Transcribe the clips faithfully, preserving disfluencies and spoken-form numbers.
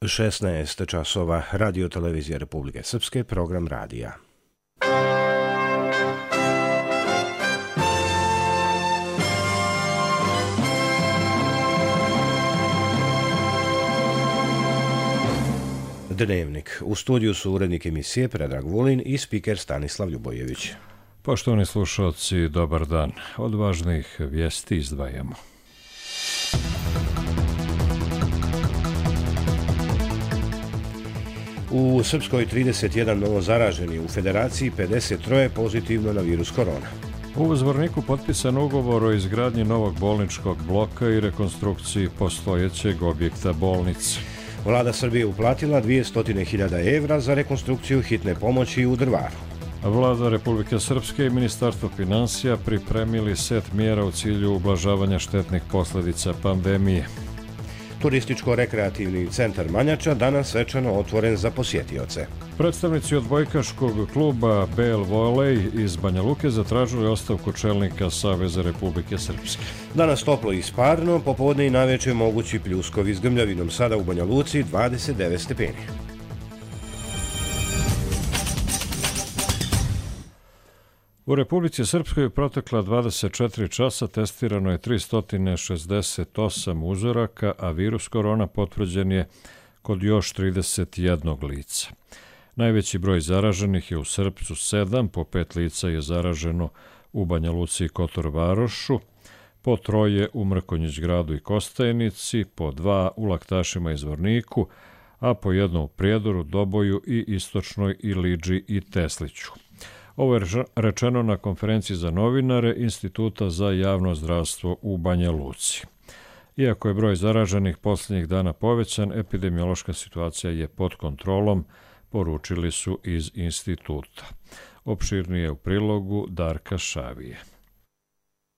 šesnaest časova, Radio televizija Republike Srpske, program radija. Dnevnik. U studiju su urednik emisije Predrag Vulin i spiker Stanislav Ljubojević. Poštovani slušalci, dobar dan. Od važnih vijesti izdvajamo. U Srpskoj trideset jedan novozaraženi, u Federaciji pedeset tri pozitivno na virus korona. U Zvorniku potpisan ugovor o izgradnji novog bolničkog bloka i rekonstrukciji postojećeg objekta bolnice. Vlada Srbije uplatila dvjesto hiljada evra za rekonstrukciju hitne pomoći u Drvaru. Vlada Republike Srpske i Ministarstvo finansija pripremili set mjera u cilju ublažavanja štetnih posljedica pandemije. Turističko-rekreativni centar Manjača danas svečano otvoren za posjetioce. Predstavnici odbojkaškog kluba B L Volej iz Banja Luke zatražili ostavku čelnika Saveza Republike Srpske. Danas toplo i sparno, popodne i navečer mogući pljuskovi s grmljavinom, sada u Banja Luci dvadeset devet stepeni. U Republici Srpskoj je protekla dvadeset četiri časa, testirano je tristo šezdeset osam uzoraka, a virus korona potvrđen je kod još trideset jednog lica. Najveći broj zaraženih je u Srpcu sedam, po pet lica je zaraženo u Banja Luci i Kotor Varošu, po troje u Mrkonjić Gradu i Kostajnici, po dva u Laktašima i Zvorniku, a po jedno u Prijedoru, Doboju i Istočnoj Iliđi i Tesliću. Ovo je rečeno na konferenciji za novinare Instituta za javno zdravstvo u Banja Luci. Iako je broj zaraženih posljednjih dana povećan, epidemiološka situacija je pod kontrolom, poručili su iz instituta. Opširnije u prilogu Darka Šavije.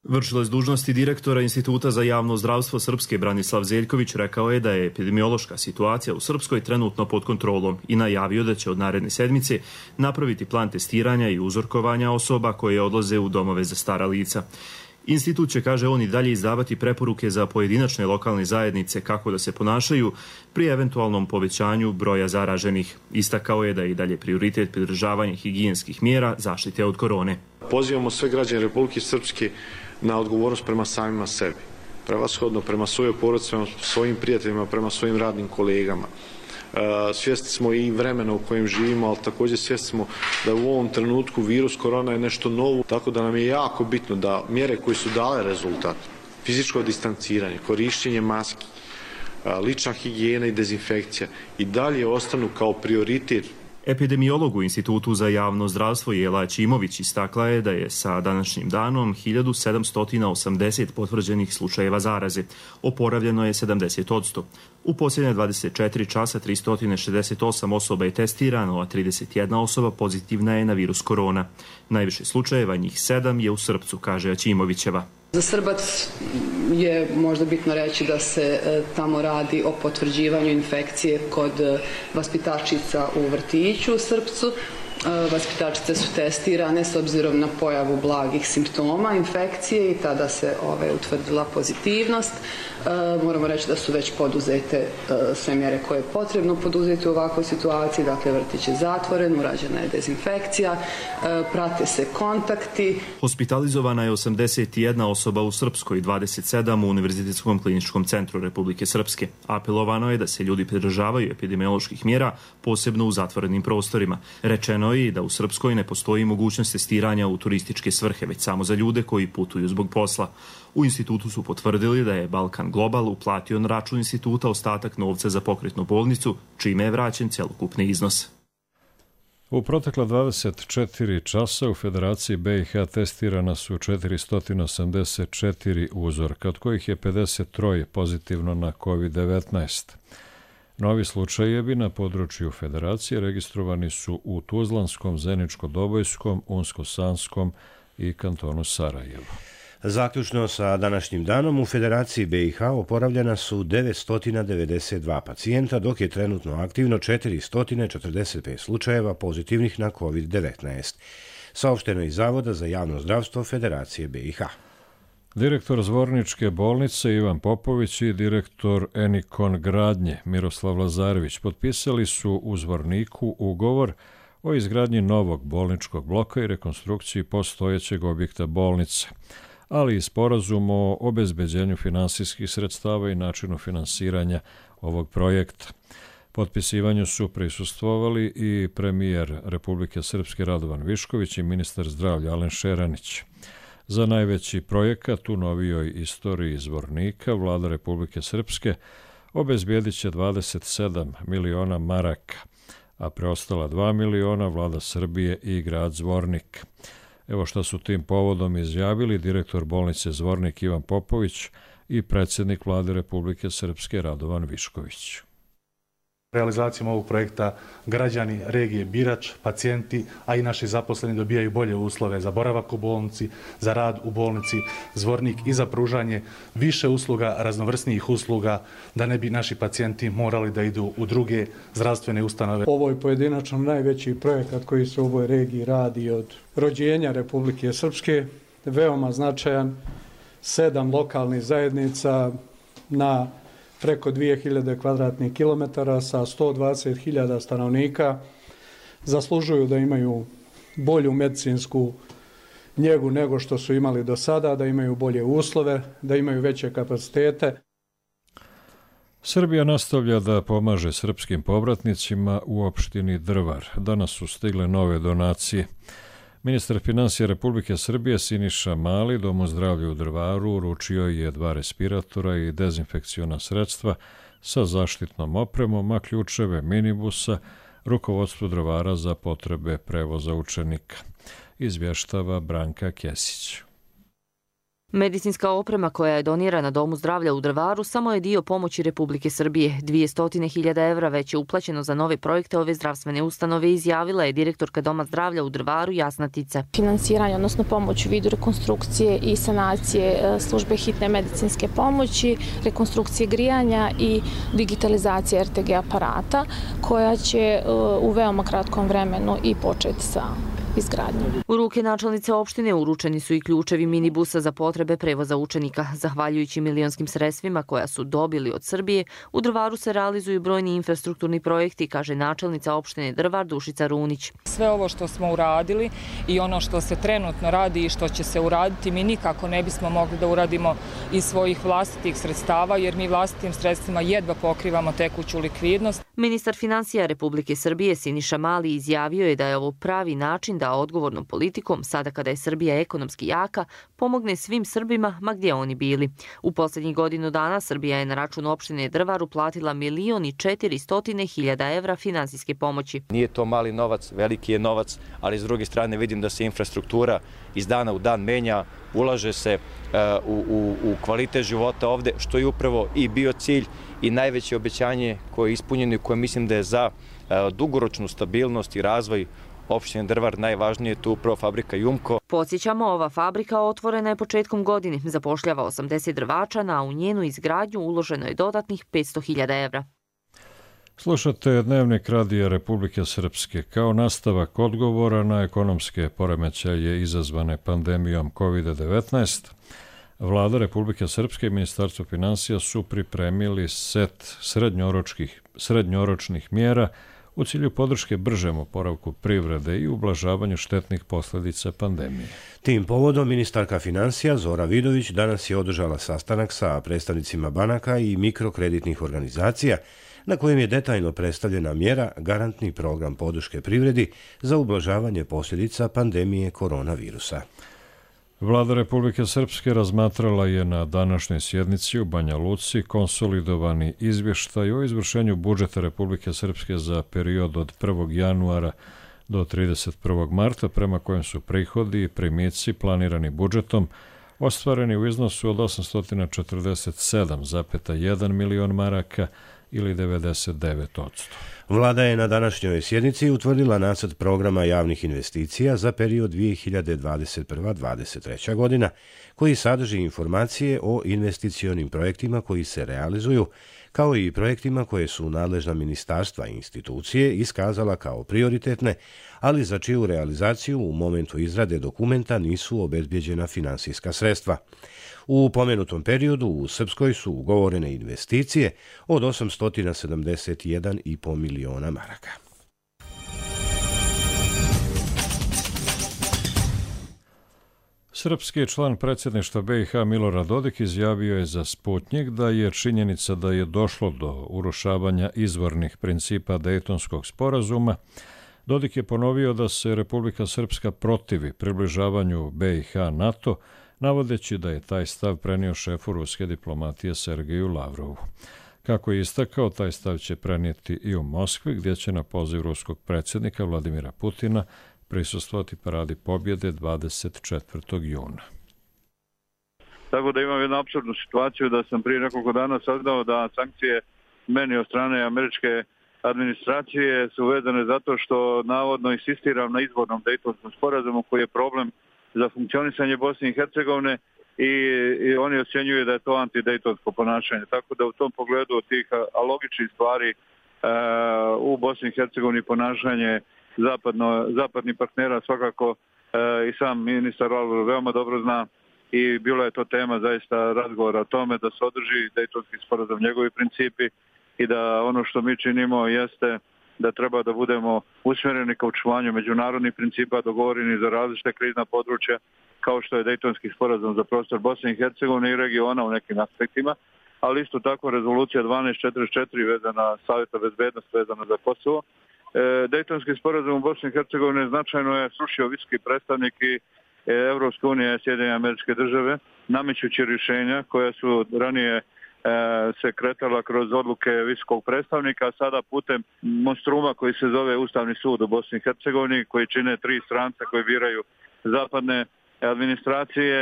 Vršilac dužnosti direktora Instituta za javno zdravstvo Srpske Branislav Zeljković rekao je da je epidemiološka situacija u Srpskoj trenutno pod kontrolom i najavio da će od naredne sedmice napraviti plan testiranja i uzorkovanja osoba koje odlaze u domove za stara lica. Institut će, kaže on, i dalje izdavati preporuke za pojedinačne lokalne zajednice kako da se ponašaju pri eventualnom povećanju broja zaraženih. Istakao je da je i dalje prioritet pridržavanje higijenskih mjera zaštite od korone. Pozivamo sve građane Republike Srpske na odgovornost prema samima sebi, prevashodno prema svojoj porodici, prema svojim prijateljima, prema svojim radnim kolegama. Svjesni smo i vremena u kojem živimo, ali također svjesni smo da u ovom trenutku virus korona je nešto novo, tako da nam je jako bitno da mjere koje su dale rezultat, fizičko distanciranje, korištenje maski, lična higijena i dezinfekcija i dalje ostanu kao prioritet. Epidemiolog u Institutu za javno zdravstvo Jela Ćimović istakla je da je sa današnjim danom hiljadu sedamsto osamdeset potvrđenih slučajeva zaraze. Oporavljeno je sedamdeset posto. U posljednje dvadeset četiri časa tristo šezdeset osam osoba je testirano, a trideset jedna osoba pozitivna je na virus korona. Najviše slučajeva, njih sedam, je u Srpcu, kaže Ćimovićeva. Za Srbac je možda bitno reći da se tamo radi o potvrđivanju infekcije kod vaspitačica u vrtiću u Srpcu. Vaspitačice su testirane s obzirom na pojavu blagih simptoma infekcije i tada se ove utvrdila pozitivnost. E, moramo reći da su već poduzete e, sve mjere koje je potrebno poduzeti u ovakvoj situaciji. Dakle, vrtić je zatvoren, urađena je dezinfekcija, e, prate se kontakti. Hospitalizovana je osamdeset jedna osoba u Srpskoj i dvadeset sedam u Univerzitetskom kliničkom centru Republike Srpske. Apelovano je da se ljudi pridržavaju epidemioloških mjera, posebno u zatvorenim prostorima. Rečeno i da u Srpskoj ne postoji mogućnost testiranja u turističke svrhe, već samo za ljude koji putuju zbog posla. U institutu su potvrdili da je Balkan Global uplatio na račun instituta ostatak novca za pokretnu bolnicu, čime je vraćen cjelokupni iznos. U protekla dvadeset četiri časa u Federaciji B i H testirana su četiristo osamdeset četiri uzorka, od kojih je pedeset tri pozitivno na kovid devetnaest. Novi slučajevi na području Federacije registrovani su u Tuzlanskom, Zeničko-Dobojskom, Unsko-Sanskom i kantonu Sarajevo. Zaključno sa današnjim danom u Federaciji B i H oporavljena su devetsto devedeset dva pacijenta, dok je trenutno aktivno četiristo četrdeset pet slučajeva pozitivnih na kovid devetnaest. Saopšteno iz Zavoda za javno zdravstvo Federacije B i H. Direktor Zvorničke bolnice Ivan Popović i direktor Enikon gradnje Miroslav Lazarević potpisali su u Zvorniku ugovor o izgradnji novog bolničkog bloka i rekonstrukciji postojećeg objekta bolnice, ali i sporazum o obezbeđenju finansijskih sredstava i načinu finansiranja ovog projekta. Potpisivanju su prisustvovali i premijer Republike Srpske Radovan Višković i ministar zdravlja Alen Šeranić. Za najveći projekat u novijoj istoriji Zvornika vlada Republike Srpske obezbijedit će dvadeset sedam miliona maraka, a preostala dva miliona vlada Srbije i grad Zvornik. Evo šta su tim povodom izjavili direktor bolnice Zvornik Ivan Popović i predsjednik vlade Republike Srpske Radovan Višković. Realizacijom ovog projekta građani regije Birač, pacijenti, a i naši zaposleni dobijaju bolje uslove za boravak u bolnici, za rad u bolnici Zvornik i za pružanje više usluga, raznovrsnijih usluga, da ne bi naši pacijenti morali da idu u druge zdravstvene ustanove. Ovo je pojedinačno najveći projekat koji se u ovoj regiji radi od rođenja Republike Srpske, veoma značajan, sedam lokalnih zajednica na preko dvije hiljade kvadratnih kilometara sa sto dvadeset hiljada stanovnika, zaslužuju da imaju bolju medicinsku njegu nego što su imali do sada, da imaju bolje uslove, da imaju veće kapacitete. Srbija nastavlja da pomaže srpskim povratnicima u opštini Drvar. Danas su stigle nove donacije. Ministar finansija Republike Srbije Siniša Mali Domu zdravlja u Drvaru uručio je dva respiratora i dezinfekciona sredstva sa zaštitnom opremom, a ključeve minibusa rukovodstvu Drvara za potrebe prevoza učenika. Izvještava Branka Kesić. Medicinska oprema koja je donirana Domu zdravlja u Drvaru samo je dio pomoći Republike Srbije. dvjesto hiljada evra već je uplaćeno za nove projekte ove zdravstvene ustanove, izjavila je direktorka Doma zdravlja u Drvaru Jasna Tica. Finansiranje, odnosno pomoć u vidu rekonstrukcije i sanacije službe hitne medicinske pomoći, rekonstrukcije grijanja i digitalizacije er te ge aparata, koja će u veoma kratkom vremenu i početi sa izgradnjom. U ruke načelnice opštine uručeni su i ključevi minibusa za potrebe prevoza učenika. Zahvaljujući milionskim sredstvima koja su dobili od Srbije, u Drvaru se realizuju brojni infrastrukturni projekti, kaže načelnica opštine Drvar Dušica Runić. Sve ovo što smo uradili i ono što se trenutno radi i što će se uraditi, mi nikako ne bismo mogli da uradimo iz svojih vlastitih sredstava, jer mi vlastitim sredstvima jedva pokrivamo tekuću likvidnost. Ministar finansija Republike Srbije Siniša Mali izjavio je da je ovo pravi način da odgovornom politikom, sada kada je Srbija ekonomski jaka, pomogne svim Srbima, ma gdje oni bili. U posljednjih godinu dana Srbija je na račun opštine Drvar uplatila milion i četiristo hiljada evra finansijske pomoći. Nije to mali novac, veliki je novac, ali s druge strane vidim da se infrastruktura iz dana u dan menja, ulaže se u, u, u kvalitet života ovde, što je upravo i bio cilj i najveće obećanje koje je ispunjeno i koje mislim da je za dugoročnu stabilnost i razvoj opštine Drvar najvažnije je tu upravo fabrika Jumko. Podsjećamo, ova fabrika otvorena je početkom godine, zapošljava osamdeset drvačana, a u njenu izgradnju uloženo je dodatnih petsto hiljada evra. Slušate Dnevnik Radija Republike Srpske. Kao nastavak odgovora na ekonomske poremećaje izazvane pandemijom kovid devetnaest, Vlada Republike Srpske i Ministarstvo finansija su pripremili set srednjoročnih, srednjoročnih mjera u cilju podrške bržem oporavku privrede i ublažavanju štetnih posljedica pandemije. Tim povodom ministarka finansija Zora Vidović danas je održala sastanak sa predstavnicima banaka i mikrokreditnih organizacija na kojem je detaljno predstavljena mjera garantni program podrške privredi za ublažavanje posljedica pandemije koronavirusa. Vlada Republike Srpske razmatrala je na današnjoj sjednici u Banja Luci konsolidovani izvještaj o izvršenju budžeta Republike Srpske za period od prvog januara do trideset prvog marta, prema kojem su prihodi i primici planirani budžetom ostvareni u iznosu od osamsto četrdeset sedam zarez jedan milion maraka ili devedeset devet posto. Vlada je na današnjoj sjednici utvrdila nacrt programa javnih investicija za period dvije hiljade dvadeset prva do dvadeset treća godina, koji sadrži informacije o investicionim projektima koji se realizuju, kao i projektima koje su nadležna ministarstva i institucije iskazala kao prioritetne, ali za čiju realizaciju u momentu izrade dokumenta nisu obezbjeđena finansijska sredstva. U pomenutom periodu u Srpskoj su ugovorene investicije od osamsto sedamdeset jedan i po miliona maraka. Srpski član predsjedništva B i H Milorad Dodik izjavio je za Sputnjik da je činjenica da je došlo do urušavanja izvornih principa Dejtonskog sporazuma. Dodik je ponovio da se Republika Srpska protivi približavanju B i H NATO, navodeći da je taj stav prenio šefu ruske diplomatije Sergeju Lavrovu. Kako je istakao, taj stav će prenijeti i u Moskvi, gdje će na poziv ruskog predsjednika Vladimira Putina prisustvovati paradi pobjede dvadeset četvrtog juna. Tako da imam jednu apsurdnu situaciju da sam prije nekoliko dana saznao da sankcije meni od strane američke administracije su vezane zato što navodno insistiram na izvornom Dejtonskom sporazumu koji je problem za funkcionisanje Bosne i Hercegovine i, i oni ocjenjuju da je to antidejtonsko ponašanje. Tako da u tom pogledu od tih alogičnih stvari e, u Bosni i Hercegovini ponašanje zapadno, zapadnih partnera svakako e, i sam ministar Lavrov veoma dobro zna i bila je to tema zaista razgovora o tome da se održi Dejtonski sporazum, njegovi principi i da ono što mi činimo jeste da treba da budemo usmjereni ka očuvanju međunarodnih principa dogovoreni za različite krizna područja kao što je Dejtonski sporazum za prostor Bosne i Hercegovine i regiona u nekim aspektima, ali isto tako rezolucija dvanaest četrdeset četiri vezana Savjeta bezbednosti vezana za Kosovo. E, Dejtonski sporazum u Bosni i Hercegovini značajno je srušio visoki predstavnik i Evropske unije, Sjedinjene Američke Države, namećući rješenja koja su ranije se kretala kroz odluke visokog predstavnika, a sada putem monstruma koji se zove Ustavni sud u Bosni i Hercegovini, koji čine tri stranca koji biraju zapadne administracije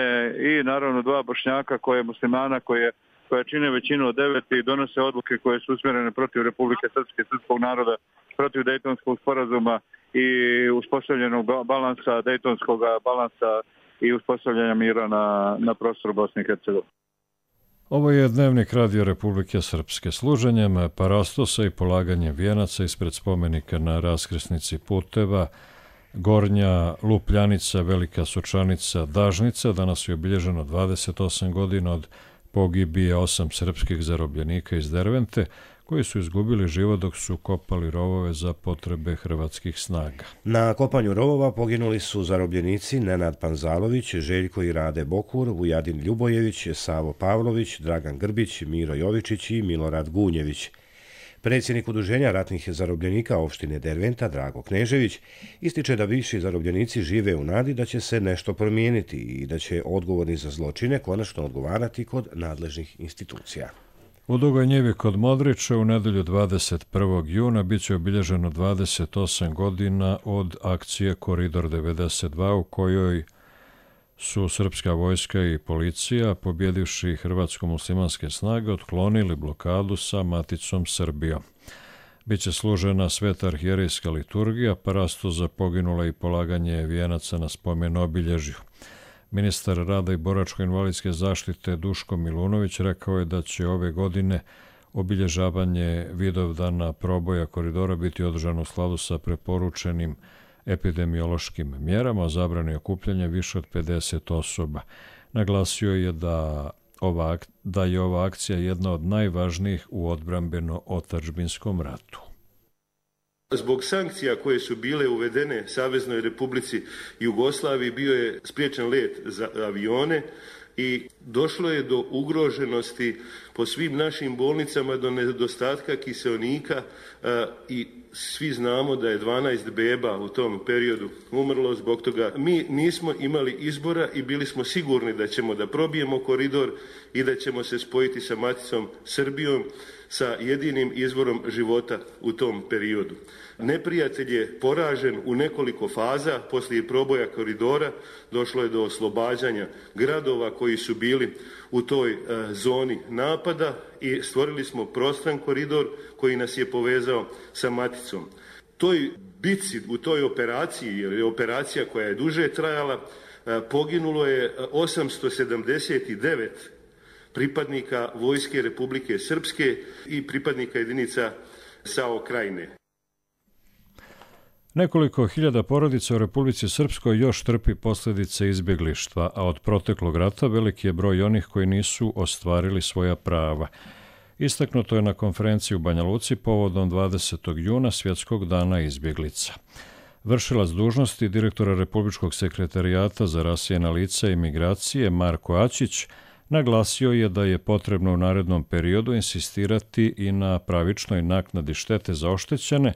i naravno dva Bošnjaka koje muslimana koje, koje čine većinu od devet i donose odluke koje su usmjerene protiv Republike Srpske, srpskog naroda, protiv Dejtonskog sporazuma i uspostavljenog balansa, Dejtonskog balansa i uspostavljanja mira na, na prostoru Bosne i Hercegovine. Ovo je dnevnik Radio Republike Srpske. Služenjem parastosa i polaganjem vijenaca ispred spomenika na raskrsnici puteva Gornja Lupljanica, Velika Sočanica, Dažnica danas je obilježeno dvadeset osam godina od pogibije osam srpskih zarobljenika iz Dervente koji su izgubili život dok su kopali rovove za potrebe hrvatskih snaga. Na kopanju rovova poginuli su zarobljenici Nenad Panzalović, Željko i Rade Bokur, Vujadin Ljubojević, Savo Pavlović, Dragan Grbić, Miro Jovičić i Milorad Gunjević. Predsjednik Udruženja ratnih zarobljenika opštine Derventa, Drago Knežević, ističe da bivši zarobljenici žive u nadi da će se nešto promijeniti i da će odgovorni za zločine konačno odgovarati kod nadležnih institucija. U Dugoj Njivi kod Modrića u nedelju dvadeset prvog juna bit će obilježeno dvadeset osam godina od akcije Koridor devedeset dva u kojoj su srpska vojska i policija, pobjedivši hrvatsko-muslimanske snage, otklonili blokadu sa maticom Srbijom. Biće služena sveta arhijerejska liturgija, parasto za poginule i polaganje vijenaca na spomen obilježju. Ministar rada i boračko-invalidske zaštite Duško Milunović rekao je da će ove godine obilježavanje Vidovdana proboja koridora biti održano u skladu sa preporučenim epidemiološkim mjerama o zabrani okupljanja više od pedeset osoba. Naglasio je da, ova, da je ova akcija jedna od najvažnijih u odbrambeno-otadžbinskom ratu. Zbog sankcija koje su bile uvedene Saveznoj Republici Jugoslaviji bio je spriječen let za avione i došlo je do ugroženosti po svim našim bolnicama, do nedostatka kiseonika i svi znamo da je dvanaest beba u tom periodu umrlo zbog toga. Mi nismo imali izbora i bili smo sigurni da ćemo da probijemo koridor i da ćemo se spojiti sa maticom Srbijom, sa jedinim izvorom života u tom periodu. Neprijatelj je poražen u nekoliko faza. Poslije proboja koridora došlo je do oslobađanja gradova koji su bili u toj e, zoni napada i stvorili smo prostran koridor koji nas je povezao sa maticom. Toj bitci, u toj operaciji, jer je operacija koja je duže trajala, e, poginulo je osamsto sedamdeset devet pripadnika Vojske Republike Srpske i pripadnika jedinica S A O Krajine. Nekoliko hiljada porodica u Republici Srpskoj još trpi posljedice izbjeglištva, a od proteklog rata veliki je broj onih koji nisu ostvarili svoja prava. Istaknuto je na konferenciji u Banja Luci povodom dvadesetog juna Svjetskog dana izbjeglica. Vršilac dužnosti direktora Republičkog sekretarijata za rasijena lica i migracije Marko Ačić naglasio je da je potrebno u narednom periodu insistirati i na pravičnoj naknadi štete za oštećene,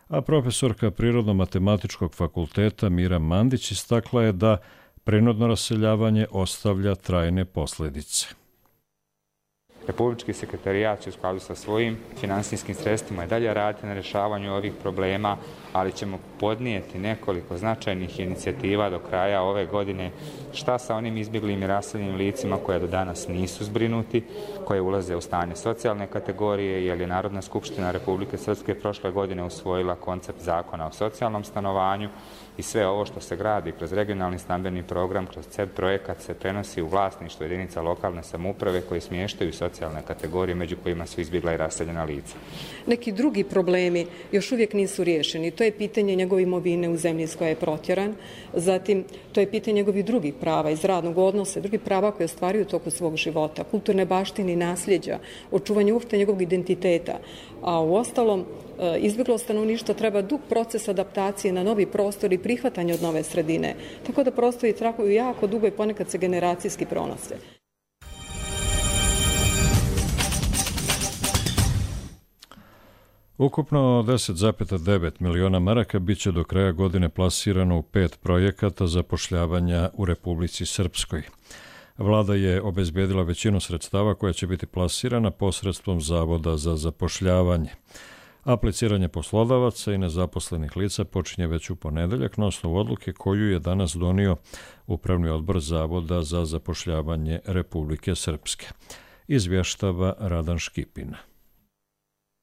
a profesorka Prirodno-matematičkog fakulteta Mira Mandić istakla je da prinudno raseljavanje ostavlja trajne posljedice. Republički sekretarijat će u skladu sa svojim finansijskim sredstvima i dalje raditi na rješavanju ovih problema, ali ćemo podnijeti nekoliko značajnih inicijativa do kraja ove godine. Šta sa onim izbjeglim i raseljenim licima koja do danas nisu zbrinuti, koje ulaze u stanje socijalne kategorije, jer je Narodna skupština Republike Srpske prošle godine usvojila koncept zakona o socijalnom stanovanju i sve ovo što se gradi kroz regionalni stambeni program, kroz C E P projekat se prenosi u vlasništvo jedinica lokalne samouprave koji smještaju socijalne kategorije među kojima su izbjegla i raseljena lica. Neki drugi problemi još uvijek nisu riješeni. To je pitanje njegove imovine u zemlji iz koje je protjeran. Zatim, to je pitanje njegovih drugih prava iz radnog odnosa, drugih prava koje ostvaruju u toku svog života, kulturne baštine i nasljeđa, očuvanje uopšte njegovog identiteta. A u ostalom, izbjeglo stanovništvo treba dug proces adaptacije na novi prostor i prihvatanje od nove sredine. Tako da prostori traju jako dugo i ponekad se generacijski pronose. Ukupno deset zarez devet miliona maraka bit će do kraja godine plasirano u pet projekata zapošljavanja u Republici Srpskoj. Vlada je obezbedila većinu sredstava koja će biti plasirana posredstvom Zavoda za zapošljavanje. Apliciranje poslodavaca i nezaposlenih lica počinje već u ponedeljak na osnovu odluke koju je danas donio Upravni odbor Zavoda za zapošljavanje Republike Srpske. Izvještava Radan Škipina.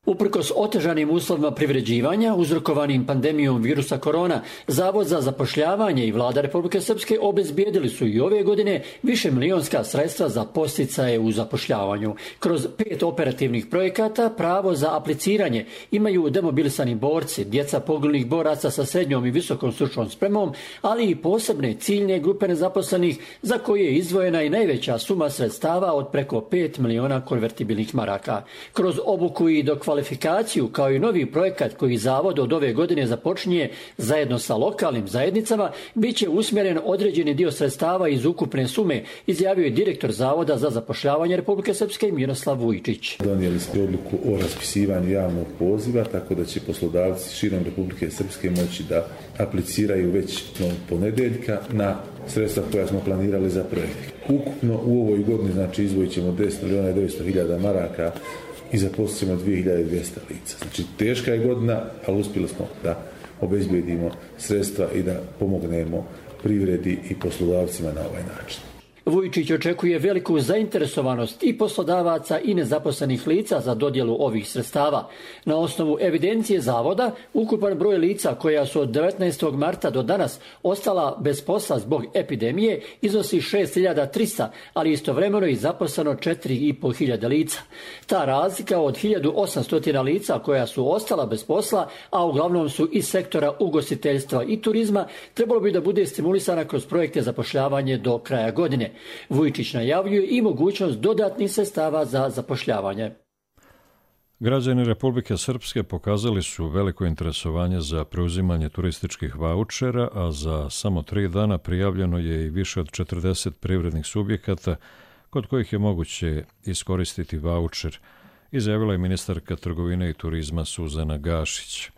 Uprkos otežanim uslovima privređivanja uzrokovanim pandemijom virusa korona, Zavod za zapošljavanje i Vlada Republike Srpske obezbijedili su i ove godine više milionska sredstva za podsticaje u zapošljavanju. Kroz pet operativnih projekata pravo za apliciranje imaju demobilisani borci, djeca poginulih boraca sa srednjom i visokom stručnom spremom, ali i posebne ciljne grupe nezaposlenih za koje je izdvojena i najveća suma sredstava od preko pet miliona konvertibilnih maraka. Kroz obuku i dokvalifikaciju kvalifikaciju kao i novi projekat koji Zavod od ove godine započinje zajedno sa lokalnim zajednicama, bit će usmjeren određeni dio sredstava iz ukupne sume, izjavio je direktor Zavoda za zapošljavanje Republike Srpske Miroslav Vujčić. Donijeli smo odluku o raspisivanju javnog poziva, tako da će poslodavci širom Republike Srpske moći da apliciraju već ponedeljka na sredstva koja smo planirali za projekt. Ukupno u ovoj godini znači izdvojit ćemo deset milijuna devetsto hiljada maraka i zaposlit ćemo dvije hiljade dvjesto lica. Znači teška je godina, ali uspjeli smo da obezbijedimo sredstva i da pomognemo privredi i poslodavcima na ovaj način. Vujčić očekuje veliku zainteresovanost i poslodavaca i nezaposlenih lica za dodjelu ovih sredstava. Na osnovu evidencije Zavoda, ukupan broj lica koja su od devetnaestog marta do danas ostala bez posla zbog epidemije iznosi šest hiljada trista, ali istovremeno i zaposleno četiri i po hiljade lica. Ta razlika od hiljadu osamsto lica koja su ostala bez posla, a uglavnom su iz sektora ugostiteljstva i turizma, trebalo bi da bude stimulisana kroz projekte zapošljavanje do kraja godine. Vujčić najavljuje i mogućnost dodatnih sredstava za zapošljavanje. Građani Republike Srpske pokazali su veliko interesovanje za preuzimanje turističkih vaučera, a za samo tri dana prijavljeno je i više od četrdeset privrednih subjekata kod kojih je moguće iskoristiti vaučer, izjavila je ministarka trgovine i turizma Suzana Gašić.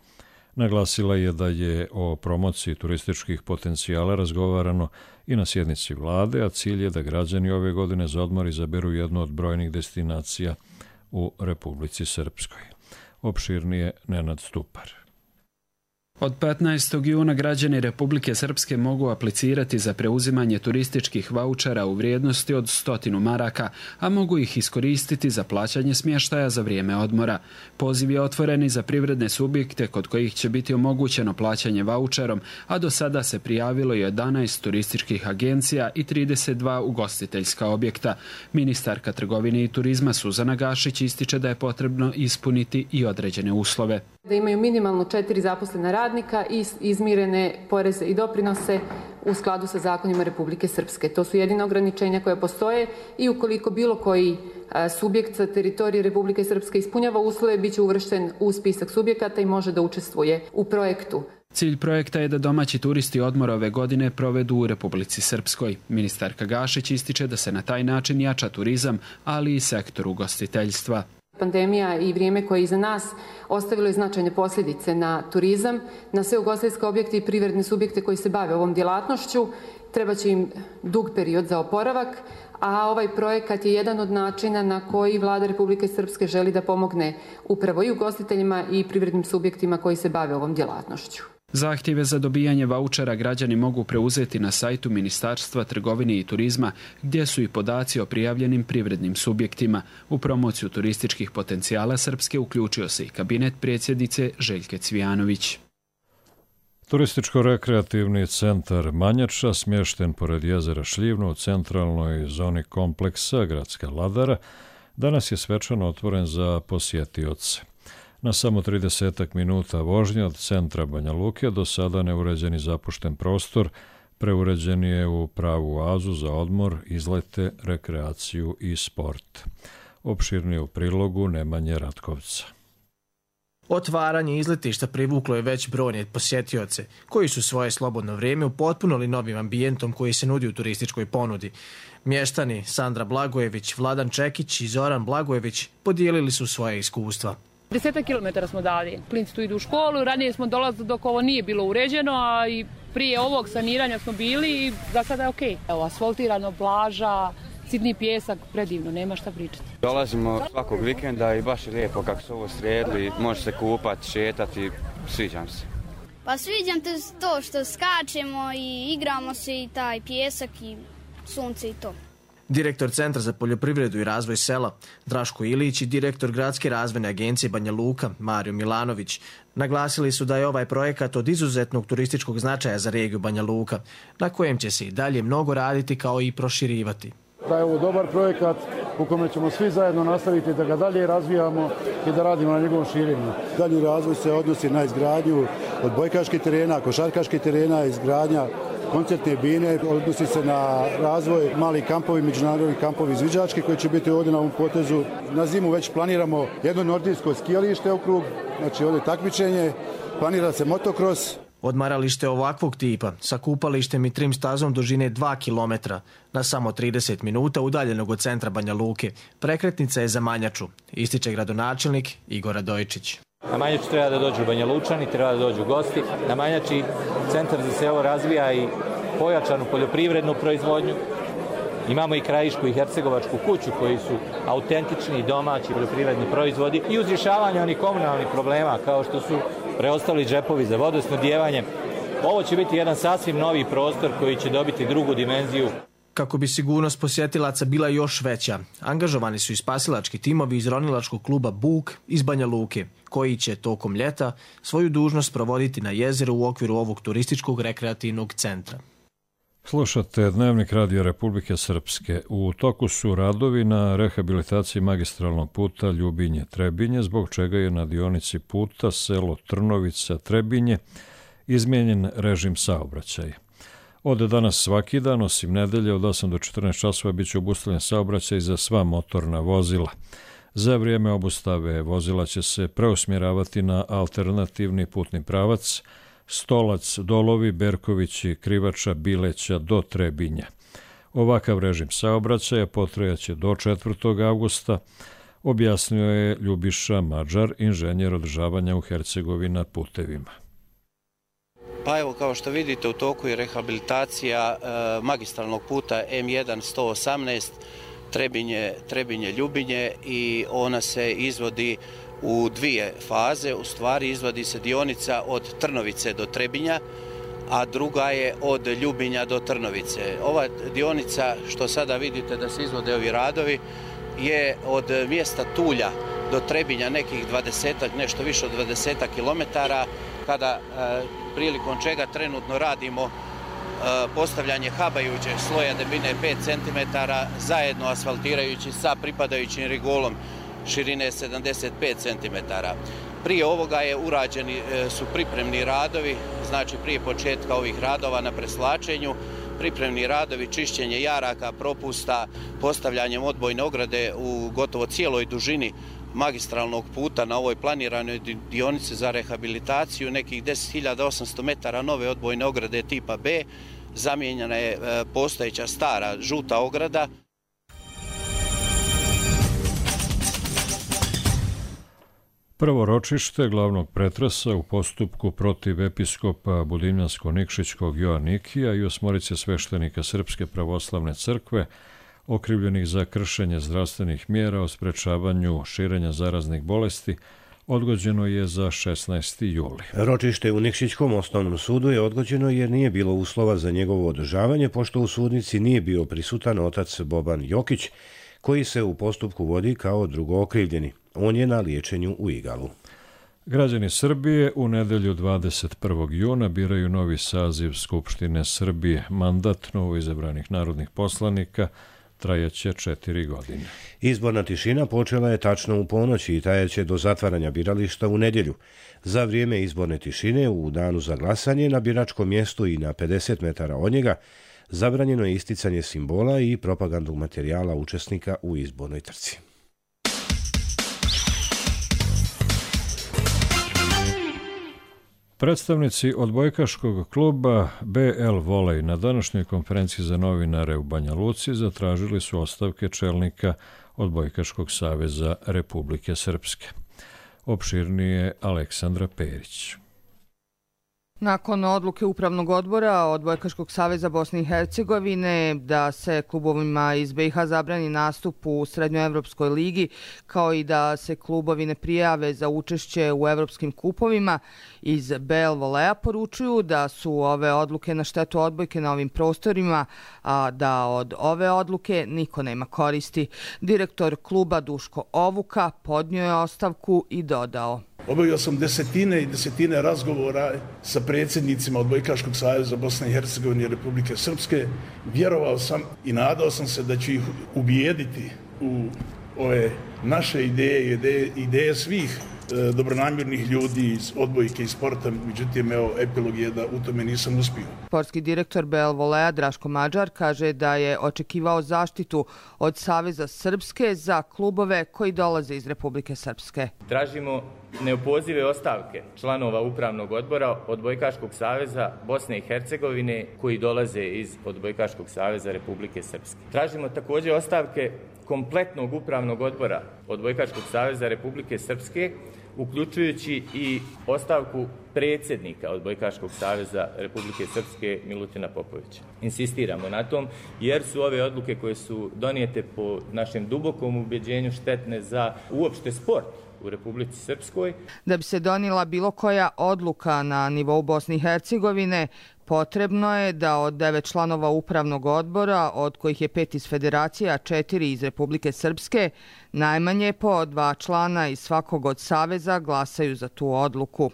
Naglasila je da je o promociji turističkih potencijala razgovarano i na sjednici vlade, a cilj je da građani ove godine za odmor izaberu jednu od brojnih destinacija u Republici Srpskoj. Opširnije Nenad Stupar. Od petnaestog juna građani Republike Srpske mogu aplicirati za preuzimanje turističkih vaučera u vrijednosti od stotinu maraka, a mogu ih iskoristiti za plaćanje smještaja za vrijeme odmora. Poziv je otvoren i za privredne subjekte kod kojih će biti omogućeno plaćanje vaučerom, a do sada se prijavilo jedanaest turističkih agencija i trideset dva ugostiteljska objekta. Ministarka trgovine i turizma Suzana Gašić ističe da je potrebno ispuniti i određene uslove. Da imaju minimalno četiri zaposlena radnika i izmirene poreze i doprinose u skladu sa zakonima Republike Srpske. To su jedina ograničenja koja postoje i ukoliko bilo koji subjekt sa teritorije Republike Srpske ispunjava uslove, bit će uvršten u spisak subjekata i može da učestvuje u projektu. Cilj projekta je da domaći turisti odmora ove godine provedu u Republici Srpskoj. Ministarka Gašić ističe da se na taj način jača turizam, ali i sektor ugostiteljstva. Pandemija i vrijeme koje je iza nas ostavilo je značajne posljedice na turizam, na sve ugostiteljske objekte i privredne subjekte koji se bave ovom djelatnošću. Treba će im dug period za oporavak, a ovaj projekat je jedan od načina na koji Vlada Republike Srpske želi da pomogne upravo i ugostiteljima i privrednim subjektima koji se bave ovom djelatnošću. Zahtjeve za dobijanje vaučera građani mogu preuzeti na sajtu Ministarstva trgovine i turizma, gdje su i podaci o prijavljenim privrednim subjektima. U promociju turističkih potencijala Srpske uključio se i kabinet predsjednice Željke Cvijanović. Turističko-rekreativni centar Manjača, smješten pored jezera Šljivno u centralnoj zoni kompleksa Gradska Ladara, danas je svečano otvoren za posjetioce. Na samo tridesetak minuta vožnje od centra Banja Luke do sada neuređeni zapušten prostor preuređen je u pravu oazu za odmor, izlete, rekreaciju i sport. Opširnije u prilogu Nemanje Ratkovca. Otvaranje izletišta privuklo je već brojne posjetioce, koji su svoje slobodno vrijeme upotpunili novim ambijentom koji se nudi u turističkoj ponudi. Mještani Sandra Blagojević, Vladan Čekić i Zoran Blagojević podijelili su svoje iskustva. Desetak kilometara smo dali. Klinci tu idu u školu, ranije smo dolazili dok ovo nije bilo uređeno, a i prije ovog saniranja smo bili i za sada je okej. Evo, asfaltirano, plaža, sitni pjesak, predivno, nema šta pričati. Dolazimo svakog vikenda i baš je lijepo kako su ovo sredili, može se kupati, šetati, sviđam se. Pa sviđam te to što skačemo i igramo se i taj pjesak i sunce i to. Direktor Centra za poljoprivredu i razvoj sela Draško Ilić i direktor Gradske razvojne agencije Banja Luka Mario Milanović naglasili su da je ovaj projekat od izuzetnog turističkog značaja za regiju Banja Luka, na kojem će se i dalje mnogo raditi kao i proširivati. Da je ovo dobar projekat u kome ćemo svi zajedno nastaviti da ga dalje razvijamo i da radimo na njegovom širenju. Dalji razvoj se odnosi na izgradnju odbojkaških terena, košarkaških terena, izgradnja koncertne bine, odnosi se na razvoj malih kampovi, međunarodni kampovi izviđački koji će biti ovdje na ovom potezu. Na zimu već planiramo jedno nordijsko skijalište okrug, znači ovdje takmičenje, planira se motokros. Odmaralište ovakvog tipa sa kupalištem i trim stazom dužine dva kilometra na samo trideset minuta udaljenog od centra Banja Luke. Prekretnica je za Manjaču, ističe gradonačelnik Igor Radojčić. Na Manjaču treba da dođu Banja Lučani, treba da dođu gosti. Na Manjači centar za selo razvija i pojačanu poljoprivrednu proizvodnju. Imamo i krajišku i hercegovačku kuću koji su autentični domaći poljoprivredni proizvodi i uz rješavanje onih komunalnih problema kao što su preostali džepovi za vodosnabdijevanje. Ovo će biti jedan sasvim novi prostor koji će dobiti drugu dimenziju. Kako bi sigurnost posjetilaca bila još veća, angažovani su i spasilački timovi iz ronilačkog kluba Buk iz Banja Luke, koji će tokom ljeta svoju dužnost provoditi na jezeru u okviru ovog turističkog rekreativnog centra. Slušate Dnevnik Radija Republike Srpske. U toku su radovi na rehabilitaciji magistralnog puta Ljubinje-Trebinje, zbog čega je na dionici puta selo Trnovica-Trebinje izmijenjen režim saobraćaja. Od danas svaki dan, osim nedelje, od osam do četrnaest časova bit će obustavljen saobraćaj za sva motorna vozila. Za vrijeme obustave vozila će se preusmjeravati na alternativni putni pravac Stolac, Dolovi, Berkovići, Krivača, Bileća do Trebinja. Ovakav režim saobraćaja potrajaće do četvrtog avgusta, objasnio je Ljubiša Mađar, inženjer održavanja u Hercegovina putevima. Pa evo, kao što vidite, u toku je rehabilitacija e, magistralnog puta M jedan sto osamnaest Trebinje, Trebinje Ljubinje i ona se izvodi u dvije faze. U stvari izvodi se dionica od Trnovice do Trebinja, a druga je od Ljubinja do Trnovice. Ova dionica, što sada vidite da se izvode ovi radovi, je od mjesta Tulja do Trebinja nekih dvadesetak, nešto više od dvadesetak kilometara, kada prilikom čega trenutno radimo postavljanje habajućeg sloja debljine pet centimetara zajedno asfaltirajući sa pripadajućim rigolom širine sedamdeset pet centimetara. Prije ovoga je urađeni su pripremni radovi, znači prije početka ovih radova na preslačenju, pripremni radovi, čišćenje jaraka, propusta, postavljanjem odbojne ograde u gotovo cijeloj dužini magistralnog puta na ovoj planiranoj dionici za rehabilitaciju, nekih deset hiljada osamsto metara nove odbojne ograde tipa B, zamijenjena je postojeća stara žuta ograda. Prvo ročište glavnog pretresa u postupku protiv episkopa Budimljansko-Nikšićkog Joanikija i osmorice sveštenika Srpske pravoslavne crkve okrivljenih za kršenje zdravstvenih mjera o sprečavanju širenja zaraznih bolesti odgođeno je za šesnaesti juli. Ročište u Nikšićkom osnovnom sudu je odgođeno jer nije bilo uslova za njegovo održavanje, pošto u sudnici nije bio prisutan otac Boban Jokić, koji se u postupku vodi kao drugo okrivljeni. On je na liječenju u Igalu. Građani Srbije u nedelju dvadeset prvog juna biraju novi saziv Skupštine Srbije. Mandat novo izabranih narodnih poslanika trajaće četiri godine. Izborna tišina počela je tačno u ponoći i trajaće do zatvaranja birališta u nedjelju. Za vrijeme izborne tišine u danu za glasanje na biračkom mjestu i na pedeset metara od njega zabranjeno je isticanje simbola i propagandnog materijala učesnika u izbornoj trci. Predstavnici odbojkaškog kluba B L Volej na današnjoj konferenciji za novinare u Banja Luci zatražili su ostavke čelnika Odbojkaškog saveza Republike Srpske. Opširnije Aleksandra Perić. Nakon odluke Upravnog odbora Odbojkaškog saveza Bosne i Hercegovine da se klubovima iz B i H zabrani nastup u Srednjoevropskoj ligi, kao i da se klubovi ne prijave za učešće u evropskim kupovima, iz B L Voleja poručuju da su ove odluke na štetu odbojke na ovim prostorima, a da od ove odluke niko nema koristi. Direktor kluba Duško Ovuka podnio je ostavku i dodao: Obavio sam desetine i desetine razgovora sa predsjednicima Odbojkaškog saveza Bosne i Hercegovine i Republike Srpske. Vjerovao sam i nadao sam se da ću ih ubijediti u ove naše ideje, ideje, ideje svih e, dobronamjernih ljudi iz odbojke i sporta. Međutim, evo, epilog je da u tome nisam uspio. Sportski direktor B L Voleja Draško Mađar kaže da je očekivao zaštitu od Saveza Srpske za klubove koji dolaze iz Republike Srpske. Tražimo neopozive ostavke članova Upravnog odbora Odbojkaškog saveza Bosne i Hercegovine koji dolaze iz Odbojkaškog saveza Republike Srpske. Tražimo također ostavke kompletnog Upravnog odbora Odbojkaškog saveza Republike Srpske, uključujući i ostavku predsjednika Odbojkaškog saveza Republike Srpske Milutina Popovića. Insistiramo na tom jer su ove odluke koje su donijete po našem dubokom ubjeđenju štetne za uopšte sport u Republici Srpskoj. Da bi se donijela bilo koja odluka na nivou Bosne i Hercegovine, potrebno je da od devet članova Upravnog odbora, od kojih je pet iz Federacije, a četiri iz Republike Srpske, najmanje po dva člana iz svakog od saveza glasaju za tu odluku.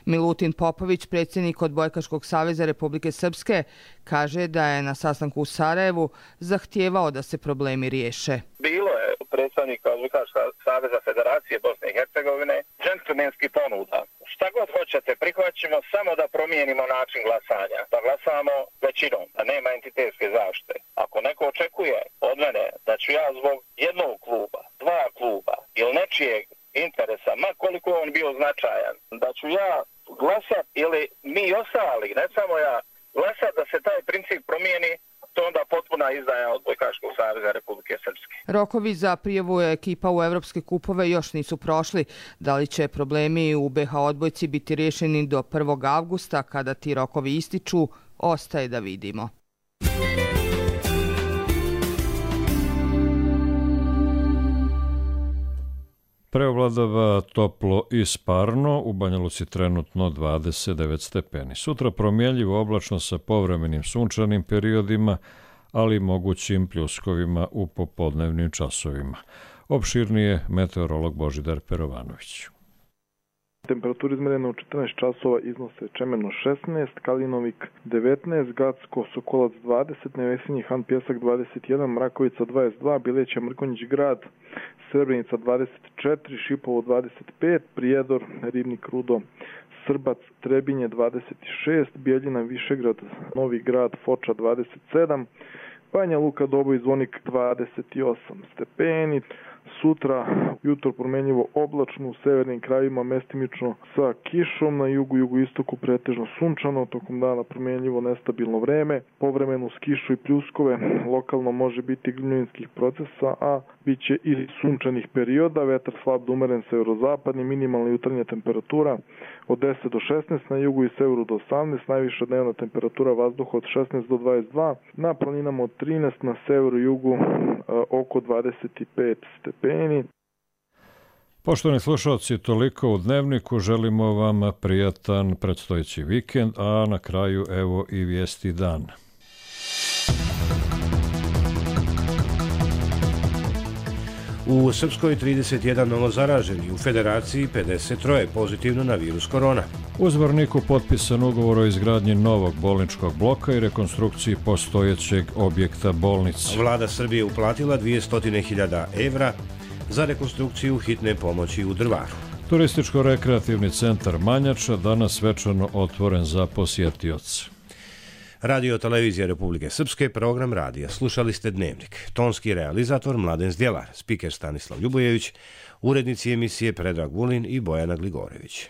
Milutin Popović, predsjednik Odbojkaškog saveza Republike Srpske, kaže da je na sastanku u Sarajevu zahtijevao da se problemi riješe. Bilo je predstavnika Odbojkaškog saveza Federacije Bosne i Hercegovine džentlmenski ponuda. Šta god hoćete, prihvaćamo samo da promijenimo način glasanja. Da glasamo većinom, da nema entitetske zaštite. Ako neko očekuje od mene da ću ja zbog jednog kluba, dva kluba ili nečijeg interesa, ma koliko on bio značajan, da ću ja glasat ili mi ostali, ne samo ja, glasat da se taj princip promijeni, to onda potpuna izdaja Odbojkaškog saveza Republike Srpske. Rokovi za prijavu ekipa u evropske kupove još nisu prošli. Da li će problemi u B H odbojci biti riješeni do prvog avgusta, kada ti rokovi ističu, ostaje da vidimo. Preovladava toplo i sparno, u Banja Luci trenutno dvadeset devet stepeni. Sutra promjenljivo oblačno sa povremenim sunčanim periodima, ali mogućim pljuskovima u popodnevnim časovima. Opširnije meteorolog Božidar Perovanović. Temperatura izmerena u četrnaest časova iznose Čemerno šesnaest, Kalinovik devetnaest, Gacko, Sokolac dvadeset, Nevesinji Han Pjesak dvadeset jedan, Mrakovica dvadeset dva, Bileća, Mrkonjić Grad, Srebrenica dvadeset četiri, Šipovo dvadeset pet, Prijedor, Ribnik, Rudo, Srbac, Trebinje dvadeset šest, Bijeljina, Višegrad, Novi Grad, Foča dvadeset sedam, Banja Luka, Doboj, Zvonik dvadeset osam stepeni. Sutra jutro promjenjivo oblačno, u severnim krajevima mestimično sa kišom, na jugu, jugoistoku pretežno sunčano, tokom dana promjenjivo nestabilno vreme, povremeno s kišu i pljuskove, lokalno može biti gnjujinskih procesa, a bit će i sunčanih perioda, vetar slab do umeren severozapadni, minimalna jutarnja temperatura od deset do šesnaest, na jugu i severu do osamnaest, najviša dnevna temperatura vazduha od šesnaest do dvadeset dva, na planinama od trinaest, na severu i jugu oko dvadeset pet stepeni. Poštovani slušalci, toliko u Dnevniku. Želimo vam prijatan predstojeći vikend, a na kraju evo i vijesti dana. U Srpskoj trideset jedan novozaraženi, u Federaciji pedeset tri pozitivno na virus korona. U Zvorniku potpisan ugovor o izgradnji novog bolničkog bloka i rekonstrukciji postojećeg objekta bolnice. Vlada Srbije uplatila dvjesto hiljada evra za rekonstrukciju hitne pomoći u Drvaru. Turističko-rekreativni centar Manjača danas svečano otvoren za posjetioce. Radio Televizija Republike Srpske, program radija. Slušali ste Dnevnik. Tonski realizator Mladen Zdjelar, spiker Stanislav Ljubojević, urednici emisije Predrag Vulin i Bojana Gligorević.